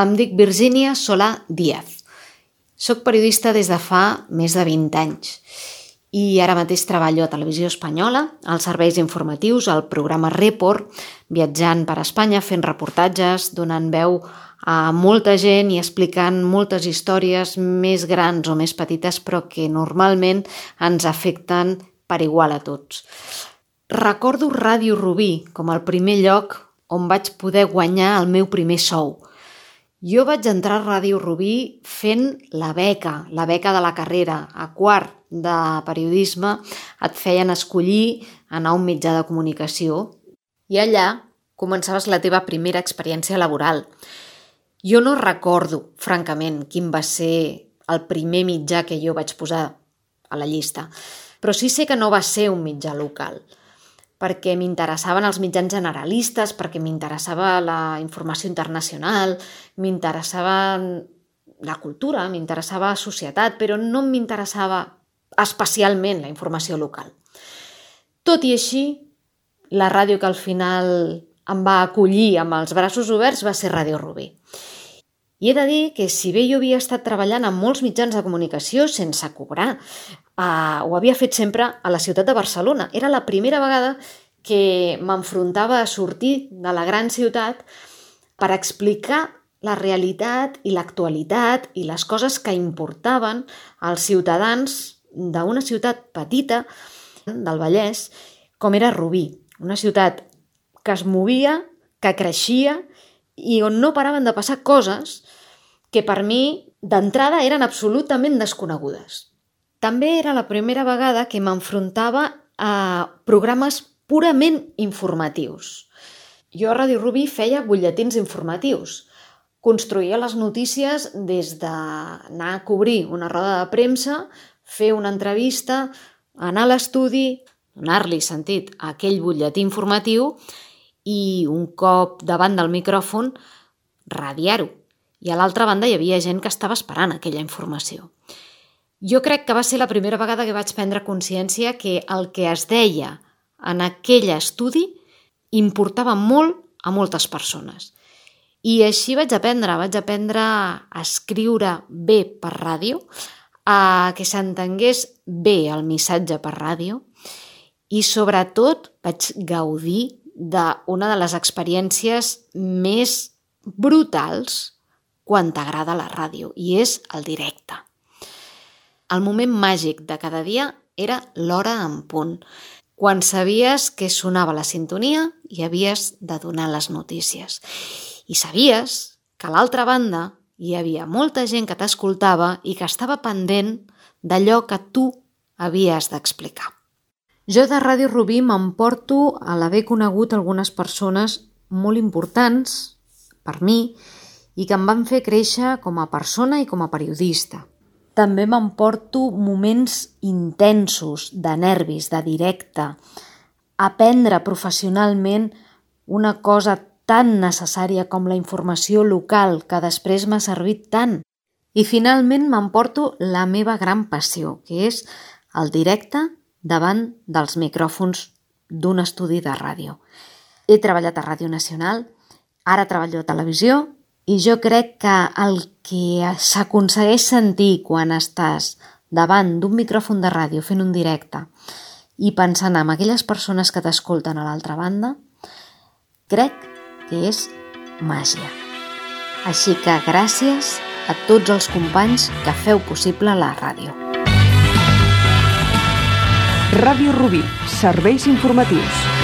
Em dic Virgínia Solà Díaz. Soc periodista des de fa més de 20 anys i ara mateix treballo a Televisió Espanyola, als serveis informatius, al programa Report, viatjant per Espanya, fent reportatges, donant veu a molta gent i explicant moltes històries més grans o més petites, però que normalment ens afecten per igual a tots. Recordo Ràdio Rubí com el primer lloc on vaig poder guanyar el meu primer sou. Jo vaig entrar a Ràdio Rubí fent la beca de la carrera. A quart de periodisme et feien escollir anar a un mitjà de comunicació i allà començaves la teva primera experiència laboral. Jo no recordo, francament, quin va ser el primer mitjà que jo vaig posar a la llista, però sí sé que no va ser un mitjà local, perquè m'interessaven els mitjans generalistes, perquè m'interessava la informació internacional, m'interessava la cultura, m'interessava la societat, però no m'interessava especialment la informació local. Tot i així, la ràdio que al final em va acollir amb els braços oberts va ser Ràdio Rubí. I he de dir que si bé jo havia estat treballant en molts mitjans de comunicació sense cobrar, ho havia fet sempre a la ciutat de Barcelona. Era la primera vegada que m'enfrontava a sortir de la gran ciutat per explicar la realitat i l'actualitat i les coses que importaven als ciutadans d'una ciutat petita del Vallès, com era Rubí, una ciutat que es movia, que creixia i on no paraven de passar coses que per mi d'entrada eren absolutament desconegudes. També era la primera vegada que m'enfrontava a programes purament informatius. Jo a Ràdio Rubí feia butlletins informatius. Construïa les notícies des d'anar a cobrir una roda de premsa, fer una entrevista, anar a l'estudi, donar-li sentit a aquell butlletí informatiu i un cop davant del micròfon radiar-ho. I a l'altra banda hi havia gent que estava esperant aquella informació. Jo crec que va ser la primera vegada que vaig prendre consciència que el que es deia en aquell estudi importava molt a moltes persones. I així vaig aprendre a escriure bé per ràdio, a que s'entengués bé el missatge per ràdio i sobretot vaig gaudir d'una de les experiències més brutals quan t'agrada la ràdio, i és el directe. El moment màgic de cada dia era l'hora en punt, quan sabies que sonava la sintonia i havies de donar les notícies. I sabies que a l'altra banda hi havia molta gent que t'escoltava i que estava pendent d'allò que tu havies d'explicar. Jo de Ràdio Rubí m'emporto a l'haver conegut algunes persones molt importants per mi i que em van fer créixer com a persona i com a periodista. També m'emporto moments intensos, de nervis, de directe, aprendre professionalment una cosa tan necessària com la informació local que després m'ha servit tant. I finalment m'emporto la meva gran passió, que és el directe davant dels micròfons d'un estudi de ràdio. He treballat a Ràdio Nacional, ara treballo a televisió i jo crec que el que s'aconsegueix sentir quan estàs davant d'un micròfon de ràdio fent un directe i pensant en aquelles persones que t'escolten a l'altra banda, crec que és màgia. Així que gràcies a tots els companys que feu possible la ràdio. Ràdio Rubí, serveis informatius.